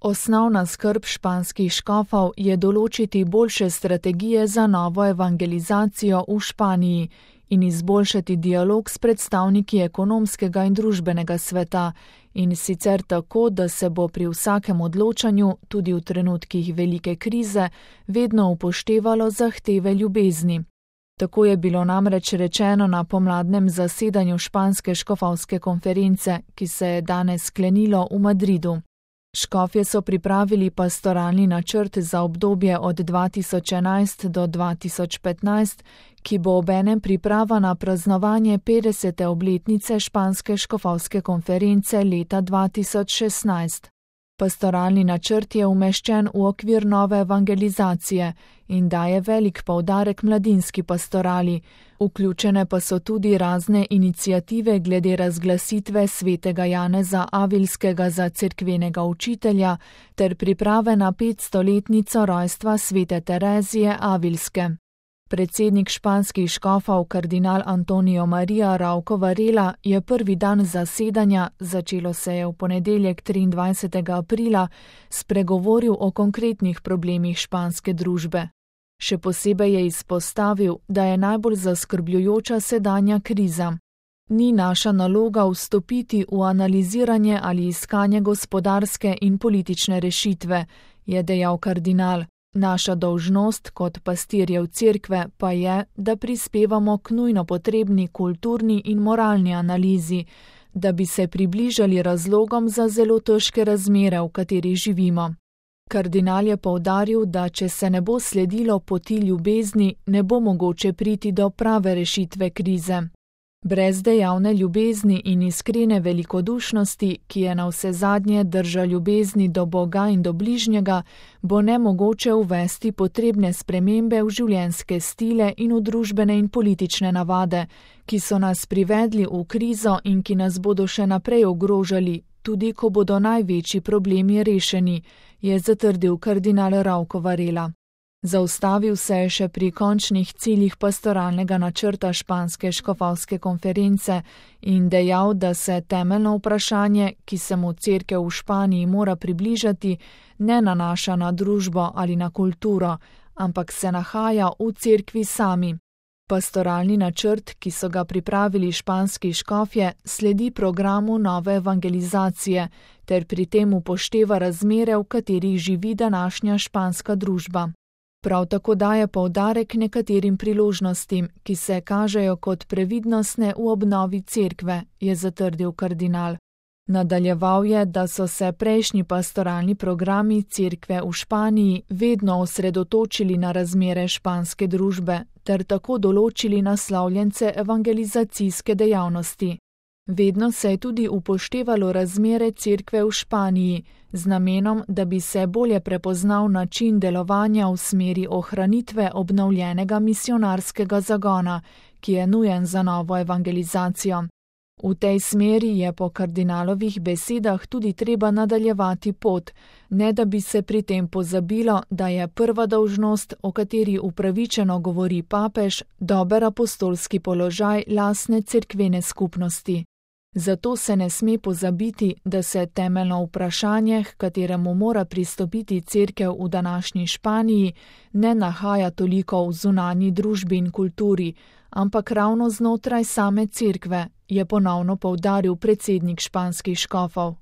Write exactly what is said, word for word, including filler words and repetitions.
Osnovna skrb španskih škofov je določiti boljše strategije za novo evangelizacijo v Španiji in izboljšati dialog s predstavniki ekonomskega in družbenega sveta, in sicer tako, da se bo pri vsakem odločanju, tudi v trenutkih velike krize, vedno upoštevalo zahteve ljubezni. Tako je bilo namreč rečeno na pomladnem zasedanju španske škofovske konference, ki se je danes sklenilo v Madridu. Škofje so pripravili pastoralni načrt za obdobje od dva tisoč enajst do dva tisoč petnajst, ki bo obenem priprava na praznovanje petdesete obletnice španske škofovske konference leta dva tisoč šestnajst. Pastoralni načrt je umeščen v okvir nove evangelizacije in daje velik poudarek mladinski pastorali, vključene pa so tudi razne iniciative glede razglasitve svetega Janeza Avilskega za cerkvenega učitelja ter priprave na petstoletnico rojstva svete Terezije Avilske. Predsednik španskih škofov kardinal Antonio Maria Rauco Varela je prvi dan zasedanja, začelo se je v ponedeljek triindvajsetega aprila, spregovoril o konkretnih problemih španske družbe. Še posebej je izpostavil, da je najbolj zaskrbljujoča sedanja kriza. Ni naša naloga vstopiti v analiziranje ali iskanje gospodarske in politične rešitve, je dejal kardinal. Naša dolžnost kot pastirjev cerkve pa je, da prispevamo k nujno potrebni kulturni in moralni analizi, da bi se približali razlogom za zelo težke razmere, v katerih živimo. Kardinal je poudaril, da če se ne bo sledilo poti ljubezni, ne bo mogoče priti do prave rešitve krize. Brez dejavne ljubezni in iskrene velikodušnosti, ki je navsezadnje drža ljubezni do Boga in do bližnjega, bo nemogoče uvesti potrebne spremembe v življenjske stile in v družbene in politične navade, ki so nas privedli v krizo in ki nas bodo še naprej ogrožali, tudi ko bodo največji problemi rešeni, je zatrdil kardinal Rauco Varela. Zaustavil se je še pri končnih ciljih pastoralnega načrta španske škofovske konference in dejal, da se temeljno vprašanje, ki se mu cerkev v Španiji mora približati, ne nanaša na družbo ali na kulturo, ampak se nahaja v cerkvi sami. Pastoralni načrt, ki so ga pripravili španski škofje, sledi programu nove evangelizacije ter pri tem upošteva razmere, v katerih živi današnja španska družba. Prav tako daje poudarek nekaterim priložnostim, ki se kažejo kot previdnostne v obnovi cerkve, je zatrdil kardinal. Nadaljeval je, da so se prejšnji pastoralni programi cerkve v Španiji vedno osredotočili na razmere španske družbe ter tako določili naslovljence evangelizacijske dejavnosti. Vedno se je tudi upoštevalo razmere cerkve v Španiji, z namenom, da bi se bolje prepoznal način delovanja v smeri ohranitve obnovljenega misionarskega zagona, ki je nujen za novo evangelizacijo. V tej smeri je po kardinalovih besedah tudi treba nadaljevati pot, ne da bi se pri tem pozabilo, da je prva dolžnost, o kateri upravičeno govori papež, dober apostolski položaj lastne cerkvene skupnosti. Zato se ne sme pozabiti, da se temeljno vprašanje, h kateremu mora pristopiti cerkev v današnji Španiji, ne nahaja toliko v zunanji družbi in kulturi, ampak ravno znotraj same cerkve, je ponovno poudaril predsednik španskih škofov.